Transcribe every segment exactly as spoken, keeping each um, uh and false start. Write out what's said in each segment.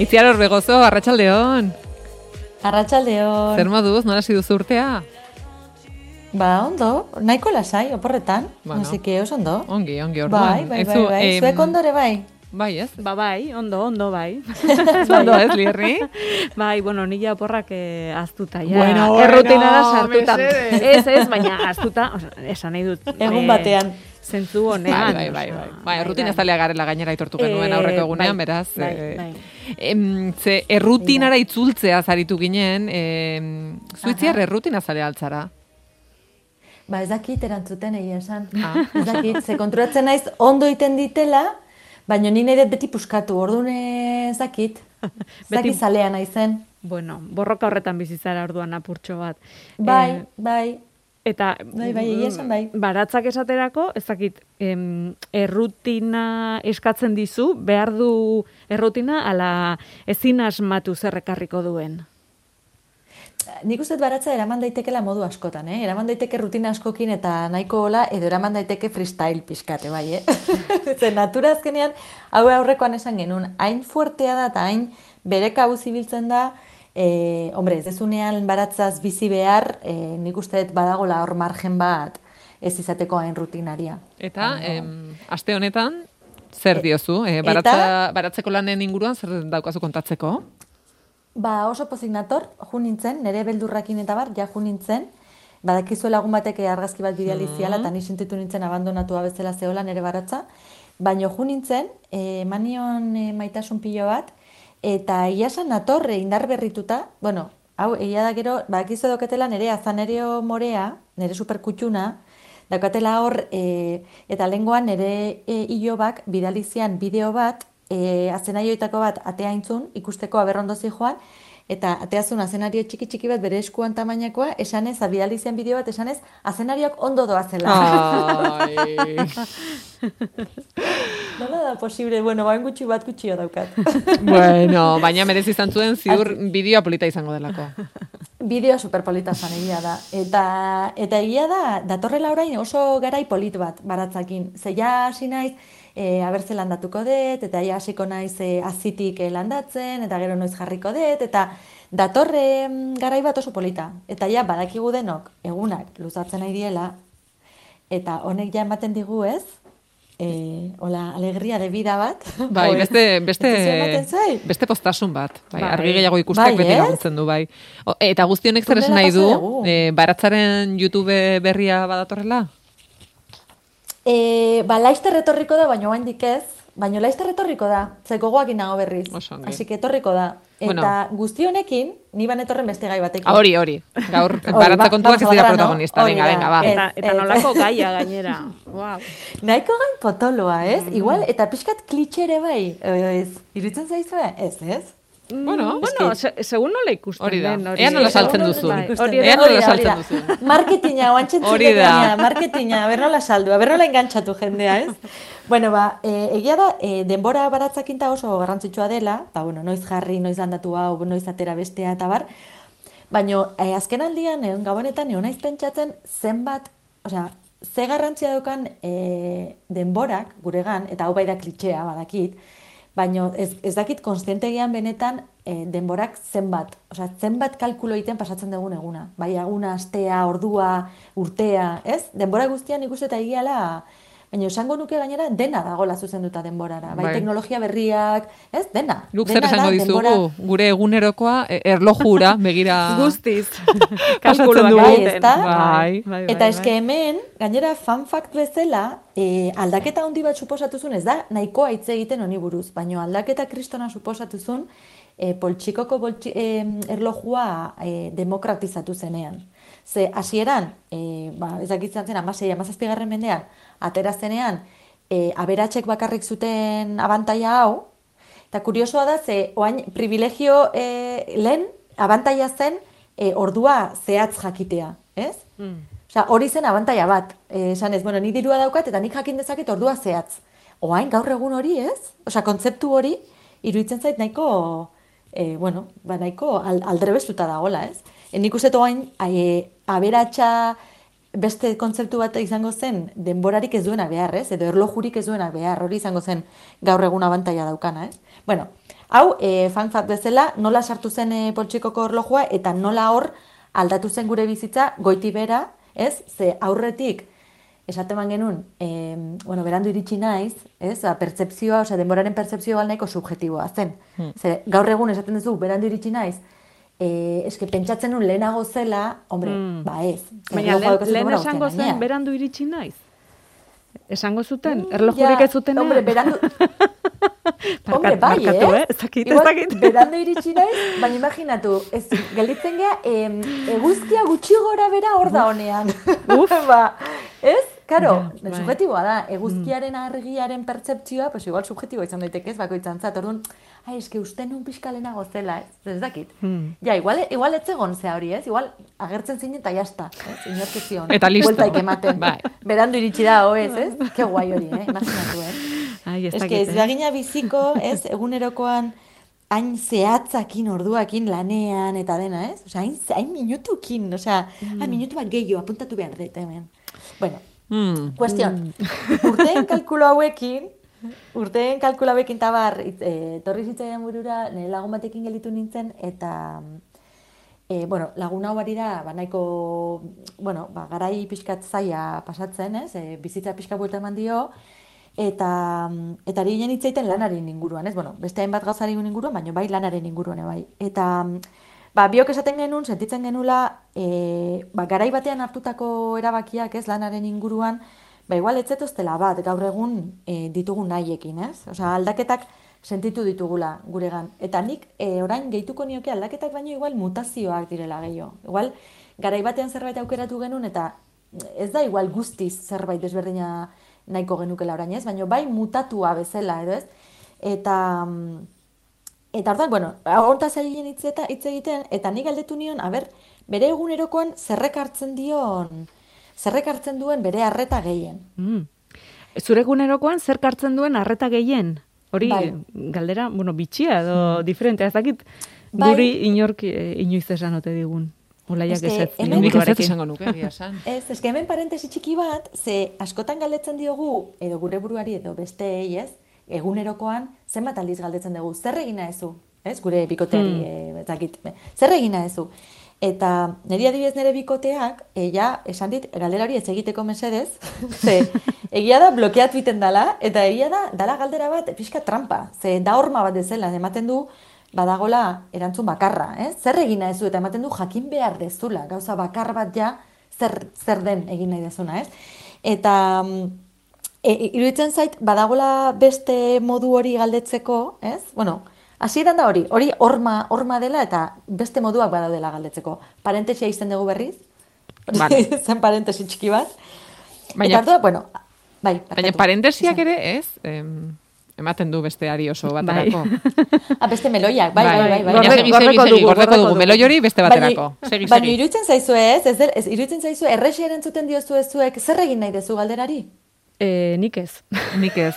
Itziar Orbegozo, arratsaldeon. Arratsaldeon. Zer moduz, nola hasi duzu urtea? Ba, ondo, nahiko lasai, oporretan. Bueno. Así que oso ondo. Ongi, ongi, orduan. Bai, bai, bai, bai. Em, Zuek ondore bai. Bai, ez? Ba, bai, ondo, ondo, bai. Ondo, ez, Lierri? Bai, bueno, nila oporrak eh, aztuta, ja. Bueno, bueno, errutinara sartuta. mesedez. Ez, ez, baina aztuta, oza, esan nahi dut. Egun eh, batean. Zentzu Bai, honean. bai, bai, bai. osea, Bai, errutina zalea garela gainera aitortu genuen Eh, aurreko egunean, bai, beraz. bai, eh, bai. em, ze, errutinara itzultzea zaritu ginen, em, zuitziar Aha. errutina zalea altzara. Ba, ez dakit erantzuten egia esan. Ah. Ez dakit, ze konturatzen naiz ondo iten ditela, baina ni nahi dut beti puskatu, orduan ez dakit. Ez Beti- dakit zalea naizen. Bueno, borroka horretan bizitzara orduan apurtxo bat. Bai, Eh, bai. Eta Bai, bai, egia esan bai. Baratzak esaterako, ez dakit, em, errutina eskatzen dizu, behar du errutina, ala ezin asmatu zer ekarriko duen. Nik uste dut baratza eraman daitekela modu askotan, eh? Eraman daiteke rutina askokin eta nahiko hola, edo eraman daiteke freestyle pixkate, bai, eh? Ze natura azkenean, hau aurrekoan esan genuen, hain fuertea da eta hain bere kabuz ibiltzen da, eh, hombre, ez dezunean baratzaz bizi behar, eh, nik uste dut badagola hor margen bat ez izateko hain rutinaria. Eta, em, aste honetan, zer diozu? Eh, eta- baratza, baratzeko lanen inguruan, zer daukazu kontatzeko? Ba, oso pozik nator, ju nintzen, nire beldurrakin eta bar, ja ju nintzen, badakizu lagun batek argazki bat bidali ziala, eta ni sentitu nintzen abandonatua bezala zehola nire baratza, baina ju nintzen, eh, manion eh, maitasun pilo bat, eta iasan natorre indar berrituta, bueno, hau, egia da gero, badakizu edoketela nire azanerio morea, nire superkutxuna, daukatela hor, eh, eta lengoan nire eh, ilobak bidali zian bideo bat, e, azenarioetako bat atea intzun, ikusteko aberrondo joan, eta ateazun azenario txiki-txiki bat bere eskuan tamainakoa, esanez, abidali zian bideo bat, esanez, azenarioak ondo doazela. Ai. Nola da posible, bueno, bain gutxi bat gutxio daukat. Bueno, baina merezi izan zuen ziur bideoa polita izango delako. Bideo superpolita zan egia da. Eta, eta egia da, datorrela orain oso garai polit bat baratzakin. Ze ja hasi naiz, e, abertze landatuko dut, eta ja hasiko naiz e, azitik e, landatzen, eta gero noiz jarriko dut, eta datorre mm, garai bat oso polita. Eta ja badakigu denok, egunak luzatzen nahi diela, eta honek ja ematen digu ez, e, hola, alegria de vida bat. Bai, Oi, beste, beste, ez ematen zait? beste postasun bat. Bai, Bai. argi gehiago ikustek Bai, beti ez? laguntzen du, bai. O, eta guzti honek zer esan Tunela nahi du, pasa dugu. e, baratzaren YouTube berria badatorrela? E, ba, laizter etorriko da, baina oraindik ez, baina laizter etorriko da, ze gogoakin nago berriz. Oso ongi. Así que etorriko da. Eta Bueno. guzti honekin, ni ban etorren beste gai batekin. Ah, hori, hori. Gaur, Hori, baratza ba- kontuak ez vamos dira al grano. protagonista. Hori Venga, da. venga, ba. Ez, Eta, eta ez. nolako gaia gainera. Wow. Nahiko gain potoloa, ez? Igual, eta pixkat klitxere bai, ez? Iruditzen zaizue? Ez, ez? Bueno, Bueno, se, segun nola ikusten Hori da. den. Ea nola saltzen Bai, duzun. hori Ea da. nola Hori da, saltzen hori da. duzun. Marketinga, oantxen Hori da. gaina, marketinga, aber nola saldu, aber nola engantzatu jendea, ez? Bueno, ba, e, egia da, e, denbora baratzakinta oso garrantzitsua dela, ba, bueno, noiz jarri, noiz landatu hau, noiz atera bestea, eta bar, baina e, azken aldian, egon gabonetan, egon naiz pentsatzen zenbat, osea, ze garrantzia daukan e, denborak guregan, eta hau bai da klitxea, badakit, baina ez, ez dakit konstientegian benetan e, denborak zenbat, osea, zenbat kalkulo egiten pasatzen dugun eguna. Bai, eguna, astea, ordua, urtea, ez? Denbora guztian ikuste eta egiala, baina esango nuke gainera dena dagola zuzenduta denborara. Bai, Bai. teknologia berriak, ez? Dena. Guk Dena zer esango da dizugu, denbora- gure egunerokoa e, erlojura begira Guztiz. pasatzen Kalkuluak dugu. Bai, egiten. ezta? Bai. bai, Eta bai, eske hemen, gainera fun fact bezala, e, aldaketa handi bat suposatuzun, ez da nahikoa hitz egiten honi buruz, baina aldaketa kristona suposatuzun, e, poltsikoko boltsi, e, erlojua e, demokratizatu zenean. Ze hasieran, e, ba, ez dakitzen zen, amasei, amazazpigarren mendean, atera zenean, e, aberatsek bakarrik zuten abantaila hau, eta kuriosoa da, ze oain privilegio e, lehen abantaila zen e, ordua zehatz jakitea, ez? Mm. Osea, hori zen abantaila bat. Eh, esan ez, bueno, nik dirua daukat eta nik jakin dezaket ordua zehatz. Oain gaur egun hori, ez? Osea, kontzeptu hori iruditzen zait nahiko, eh, bueno, ba nahiko al, aldrebestuta dagoela, ez? E, nik uste oain e, aberatsa beste kontzeptu bat izango zen denborarik ez duena behar, ez? Edo erlojurik ez duena behar, hori izango zen gaur egun abantaila daukana, ez? Bueno, Hau, e, fun fact bezala, nola sartu zen e, poltsikoko orlojua eta nola hor aldatu zen gure bizitza goiti bera, ez? Ze aurretik, esaten man genuen, e, bueno, berandu iritsi naiz, ez? Ba, pertzepzioa, osea, denboraren pertzepzioa nahiko subjetiboa zen. Hmm. Ze, gaur egun esaten duzu, berandu iritsi naiz, e, eske pentsatzen nun lehenago zela, hombre, hmm. ba ez. Baina lehen, lehen esango zen, berandu iritsi naiz? Esango zuten, erlojurik ez zutenean? Hombre, berandu... Hombre, bai, markatu, eh? eh? Ez dakit, ez dakit. Berandu iritsi naiz, baina imaginatu, ez, gelditzen gea, em, eguzkia gutxi gora bera hor da honean. Uf. Ba, ez? Karo, ja, subjetiboa da, eguzkiaren argiaren pertzeptzioa, pues igual subjetiboa izan daiteke ez, bakoitzan zat, orduan, ai, eske uste nun pixka lehenago zela, ez, ez dakit. Hmm. Ja, igual, igual ez egon zea hori, ez? Igual agertzen zinen eta jazta, ez? Inorkezion. Eta listo. Bueltaik ematen. Bai. Berandu iritsi da, hoez, ez? Ke guai hori, eh? Imaginatu, eh? Ai, ez dakit, eh? Ez bagina biziko, ez? Egunerokoan hain zehatzakin, orduakin, lanean, eta dena, ez? Osea, hain, hain minutukin, osea, mm. hain minutu bat gehiago, apuntatu behar dut, hemen. Bueno, mm. Kuestion, mm. urteen kalkulo hauekin, urteen kalkulo hauekin tabar, e, torri zitzaidan burura, nire lagun batekin gelditu nintzen, eta, e, bueno, lagun hau bari da, ba, nahiko, bueno, ba, garai pixkat zaia pasatzen, ez? E, bizitza pixka buelta eman dio, eta eta ari ginen hitzaiten lanaren inguruan, ez? Bueno, beste hainbat gauzaren inguruan, baina bai lanaren inguruan bai. Eta ba biok esaten genuen, sentitzen genula, e, ba garai batean hartutako erabakiak, ez, lanaren inguruan, ba igual ez zetoztela bat gaur egun e, ditugun nahiekin, ez? Osea, aldaketak sentitu ditugula guregan. Eta nik e, orain gehituko nioke aldaketak baino igual mutazioak direla gehiago. Igual garai batean zerbait aukeratu genuen eta ez da igual guztiz zerbait desberdina nahiko genukela orain, ez? Baina bai mutatua bezala, edo ez? Eta, eta orduan, bueno, hontaz egin hitz egiten, eta nik galdetu nion, a ber, bere egunerokoan zerrek hartzen dion, zerrek hartzen duen bere arreta gehien. Mm. Zure egunerokoan zer hartzen duen arreta gehien? Hori, bai. Galdera, bueno, bitxia edo mm. diferentea, ez dakit, bai. Guri inork inoiz esan ote digun. Olaiak ezetz. Nik ezetz esango nuke, egia esan. Ez, eske hemen parentesi txiki bat, ze askotan galdetzen diogu, edo gure buruari edo besteei, ez, egunerokoan, zenbat aldiz galdetzen dugu, zer egina ezu, ez, gure bikoteari, hmm. e, zakit, zer egina ezu. Eta niri adibidez nire bikoteak, ja, esan dit, galderari ez egiteko mesedez, ze, egia da blokeatu iten dala, eta egia da, dala galdera bat, pixka trampa, ze da horma bat dezela, ematen du, badagola erantzun bakarra, eh? Zer egin nahi zu, eta ematen du jakin behar dezula, gauza bakar bat ja, zer, zer den egin nahi dezuna, ez? Eta e, iruditzen zait, badagola beste modu hori galdetzeko, ez? Bueno, hasieran da hori, hori horma, horma dela eta beste moduak badaudela galdetzeko. Parentesia izten dugu berriz, vale. Zen parentesi txiki bat. Baina, eta hartu da, bueno, bai. Baina parentesiak ere, ez? Em... Ematen du besteari oso baterako. Ah, beste meloiak, bai, bai, bai. bai. Baina segi, segi, segi, gordeko dugu, meloi hori beste baterako. Segi, baina iruditzen zaizu ez, ez, ez iruditzen zaizu, errexi erantzuten diozu ezuek, zer egin nahi dezu galderari? E, nik ez. Nik ez.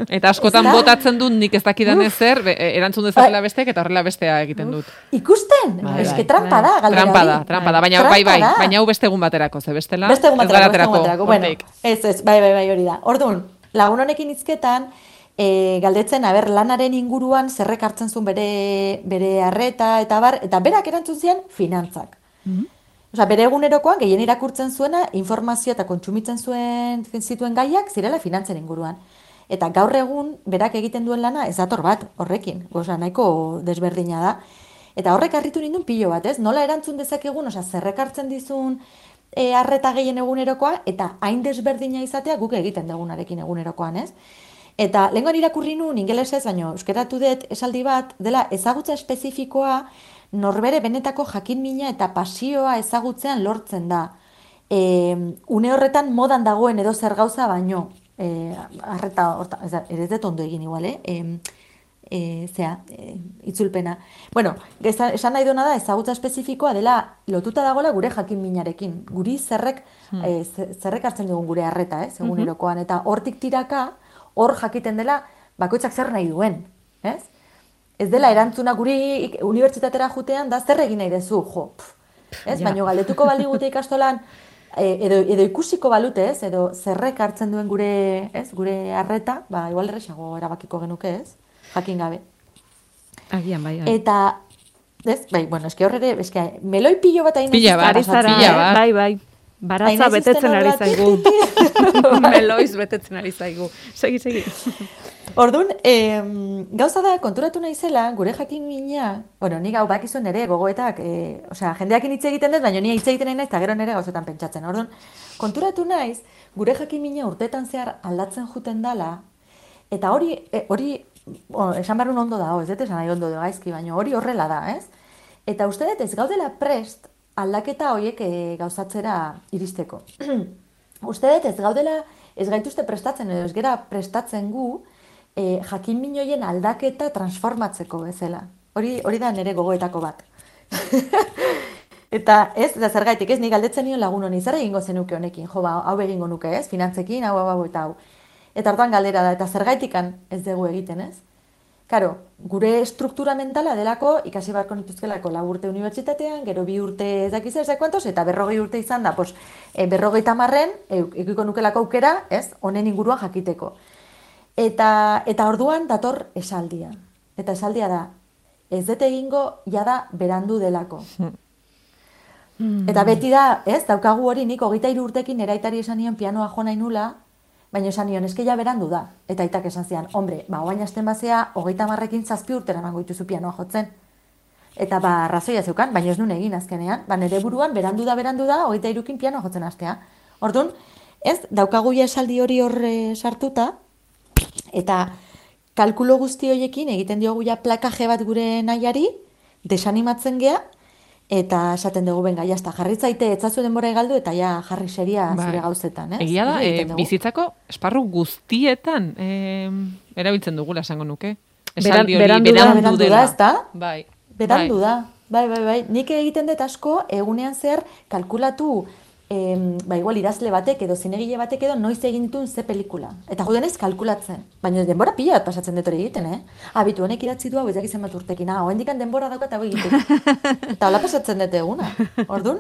Eta askotan botatzen dut nik ez dakidan ezer, erantzun dezakela besteak eta horrela bestea egiten dut. Ikusten? Eske trampa da, galderari. Trampa da, trampa da, baina bai, bai, baina hau beste egun baterako, ze bestela, beste egun baterako, ez garaterako. Beste egun baterako, bueno, ez, ez, bai, bai, bai, hori da. Orduan, lagun honekin hizketan, E, galdetzen, aber, lanaren inguruan zerrek hartzen zuen bere, bere arreta, eta bar, eta berak erantzun zian finantzak. Mm-hmm. Osea, bere egunerokoan, gehien irakurtzen zuena, informazioa eta kontsumitzen zuen zituen gaiak, zirela finantzen inguruan. Eta gaur egun, berak egiten duen lana, ez dator bat, horrekin. Osea, nahiko desberdina da. Eta horrek harritu nindun pilo bat, ez? Nola erantzun dezakegun, osea, zerrek hartzen dizun e, arreta gehien egunerokoa, eta hain desberdina izatea guk egiten dugunarekin egunerokoan, ez? Eta lehengoan irakurri nuen ingelesez, baina euskeratu dut esaldi bat, dela ezagutza espezifikoa norbere benetako jakinmina eta pasioa ezagutzean lortzen da. E, une horretan modan dagoen edo zer gauza baino, e, arreta, orta, ez da, ere ez dut ondo egin igual, eh? E, e, zea, e, itzulpena. Bueno, esan nahi duena da, ezagutza espezifikoa dela lotuta dagoela gure jakinminarekin. Guri zerrek, hmm. e, zerrek hartzen dugun gure arreta, eh? Egunerokoan, eta hortik tiraka, hor jakiten dela bakoitzak zer nahi duen, ez? Ez dela erantzuna guri unibertsitatera jutean da zer egin nahi dezu, jo, pff, ez? Ja. Baina galdetuko baligute ikastolan, edo, edo ikusiko balute, ez? Edo zerrek hartzen duen gure, ez? Gure arreta, ba, igual erresago erabakiko genuke, ez? Jakin gabe. Agian, bai, bai. Eta, ez, bai, bueno, eski horre, eski, meloi pilo bat hain Pila bat, pila bat. Bai, bai. Baratza betetzen ari zaigu. Meloiz betetzen ari zaigu. Segi, segi. Orduan, eh, gauza da, konturatu naizela, gure jakin mina, bueno, nik hau bakizu nere gogoetak, eh, osea, jendeakin hitz egiten dut, baina ni hitz egiten nahi naiz, eta gero nere gauzetan pentsatzen. Orduan, konturatu naiz, gure jakin mina urteetan zehar aldatzen juten dala, eta hori, eh, hori, oh, esan barrun ondo da, ez dut esan nahi ondo da gaizki, baina hori horrela da, ez? Eta uste dut ez gaudela prest, aldaketa horiek e, gauzatzera iristeko. Uste dut ez gaudela, ez gaituzte prestatzen edo ez gera prestatzen gu e, jakin minoien aldaketa transformatzeko bezala. Hori, hori da nire gogoetako bat. Eta ez, da zergaitik ez, nik galdetzen nion lagun honi, zer egingo zenuke honekin, jo, ba, hau egingo nuke ez, finantzekin, hau, hau, hau, eta hau. Eta orduan galdera da, eta zergaitikan ez dugu egiten ez. Karo, gure struktura mentala delako ikasi barko nituzkelako lau urte unibertsitatean, gero bi urte ez dakiz ez kuantos, eta berrogei urte izan da, pues, e, berrogei tamarren, ekiko nukelako aukera, ez, honen inguruan jakiteko. Eta, eta orduan dator esaldia. Eta esaldia da, ez dut egingo jada berandu delako. Hmm. Eta beti da, ez, daukagu hori nik hogeita hiru urtekin eraitari esan nion pianoa jo nahi nula, baina esan nion, eske ja berandu da. Eta aitak esan zian, hombre, ba, oain hasten bazea, hogeita marrekin zazpi urtera emango dituzu pianoa jotzen. Eta ba, razoia zeukan, baina ez nun egin azkenean. Ba, nire buruan, berandu da, berandu da, hogeita hirukin pianoa jotzen hastea. Orduan, ez, daukagu ja esaldi hori horre sartuta, eta kalkulo guzti horiekin egiten diogu ja plakaje bat gure nahiari, desanimatzen gea, eta esaten dugu, benga, jazta, jarritzaite etzazu denbora egaldu, eta ja jarri seria zure gauzetan, ez? Egia da, e, bizitzako esparru guztietan e, erabiltzen dugula esango nuke. Esaldi hori berandu, berandu, berandu da, ez da? Bai. Berandu da, bai, bai, bai. Nik egiten dut asko, egunean zer kalkulatu, em, ba, igual idazle batek edo zinegile batek edo noiz egin dituen ze pelikula. Eta judenez kalkulatzen. Baina denbora pila bat pasatzen dut hori egiten, eh? Abitu, honek idatzi du hau ezak izan bat urtekin. Ah, hoendikan denbora daukat hau egiten. Eta hola pasatzen dut eguna. Orduan,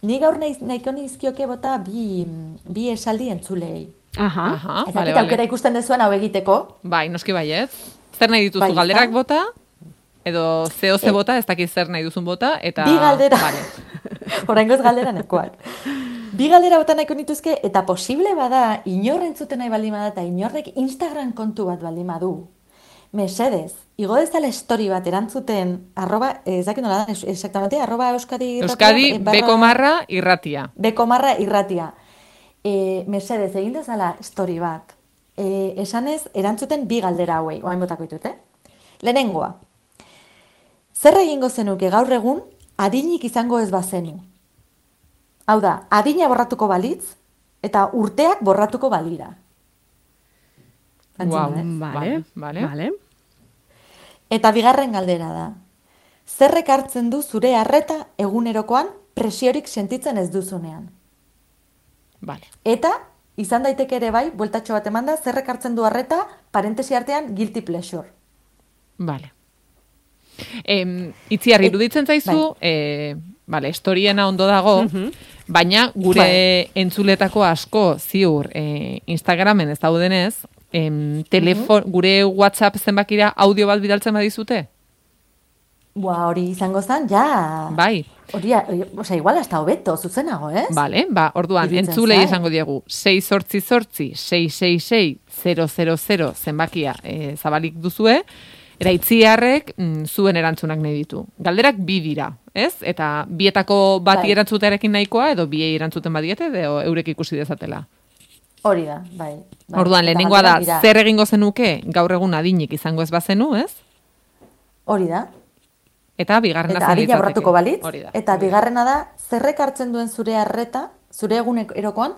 ni gaur nahi, nahiko nizkioke bota bi, bi esaldi entzulei. Aha, Aha ez vale, aukera vale. Ikusten dezuen hau egiteko. Bai, noski baiet. Zer nahi dituzu, bai, galderak bota? Edo zeo ze bota, ez dakit zer nahi duzun bota, eta... Bi galdera. Vale. Oraingoz galdera nekoak. Bi galdera bota nahiko nituzke, eta posible bada, inorren zuten nahi baldin bada, eta inorrek Instagram kontu bat baldin badu. Mesedez, igo dezala story bat erantzuten, arroba, ez dakit nola da, exactamente, arroba Euskadi irratia. Euskadi, beko marra irratia. Beko marra irratia. E, mesedez, egin dezala story bat. E, esanez, erantzuten bi galdera hauei, oain botako ditut, eh? Lehenengoa. Zer egingo zenuke gaur egun, adinik izango ez bazenu? Hau da, adina borratuko balitz, eta urteak borratuko balira. Wow, vale, vale, vale. Eta bigarren galdera da. Zerrek hartzen du zure arreta egunerokoan presiorik sentitzen ez duzunean? Vale. Eta, izan daiteke ere bai, bueltatxo bat emanda, zerrek hartzen du arreta, parentesi artean, guilty pleasure. Vale. Eh, itziarri iruditzen zaizu, bai. eh, vale, historiena ondo dago, uh-huh. baina gure bai. entzuletako asko ziur eh, Instagramen ez daudenez, eh, telefon, uh-huh. gure WhatsApp zenbakira audio bat bidaltzen badizute? Bua, hori izango zen, ja. Bai. Hori, osea, igual hasta hobeto, zuzenago, ez? Vale, ba, orduan, entzulei esango diegu, sei zortzi zortzi, sei sei sei, zero zero zero zenbakia eh, zabalik duzue, Era itziarrek mm, zuen erantzunak nahi ditu. Galderak bi dira, ez? Eta bietako bati bai. erantzutearekin nahikoa, edo biei erantzuten badiete, edo eurek ikusi dezatela. Hori da, bai. bai. Orduan, lehenengoa da, dira. Zer egingo zenuke gaur egun adinik izango ez bazenu, ez? Hori da. Eta bigarrena eta adina borratuko balitz. Eta bigarrena da, zerrek hartzen duen zure arreta, zure egunerokoan,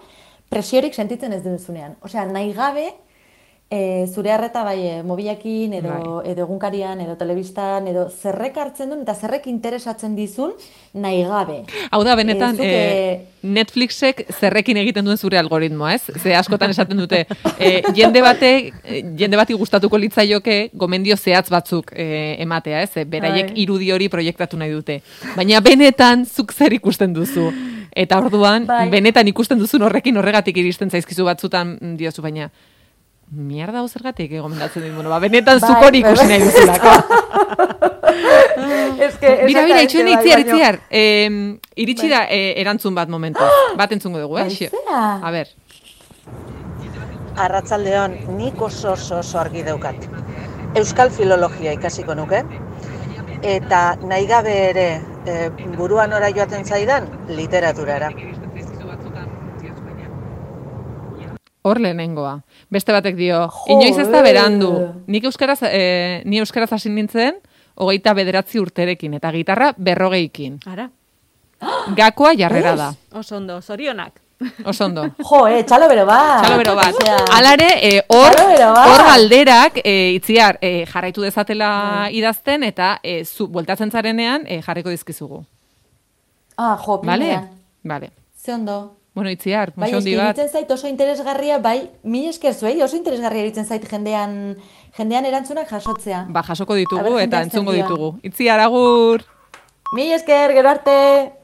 presiorik sentitzen ez duzunean. Osea, nahi gabe, E, zure harreta bai, e, mobilakin, edo, bai. edo egunkarian, edo telebistan, edo zerrek hartzen duen, eta zerrek interesatzen dizun, nahi gabe. Hau da, benetan, e, zuke... e, Netflixek zerrekin egiten duen zure algoritmoa, ez? Ze askotan esaten dute, e, jende bate, jende bati gustatuko litzaioke gomendio zehatz batzuk e, ematea, ez? E, beraiek bai. irudi hori proiektatu nahi dute. Baina benetan, zuk zer ikusten duzu. Eta orduan, bai. benetan ikusten duzun horrekin horregatik iristen zaizkizu batzutan diozu, baina mierda hau zergatik gomendatzen dit, bueno, ba, benetan zukori ikusi nahi duzulako. Bira, bira, itxuen itziar, itziar. Eh, iritsi da eh, erantzun bat momentu. Bat entzungo dugu, eh? A ber. Arratsaldeon, nik oso oso oso argi daukat. Euskal filologia ikasiko nuke, eta nahi gabe ere e, buruan ora joaten zaidan literaturara. Hor lehenengoa. Beste batek dio, inoiz ez da berandu. Nik euskaraz, e, ni euskaraz hasi nintzen, hogeita bederatzi urterekin, eta gitarra berrogeikin. Ara. Gakoa jarrera da. Osondo, zorionak. Osondo. Jo, eh, txalo bero bat. Txalo bero bat. Alare, eh, hor hor galderak, eh, itziar, eh, jarraitu dezatela idazten, eta eh, zu, bueltatzen zarenean eh, jarriko dizkizugu. Ah, jo, pinean. Vale. Vale. Ze ondo. Bueno, itziar, bai, muxondi bat. Bai, zait oso interesgarria, bai, mi esker zuei, oso interesgarria eritzen zait jendean, jendean erantzunak jasotzea. Ba, jasoko ditugu eta entzungo ditugu. Itziar, agur! Mi esker, gero arte!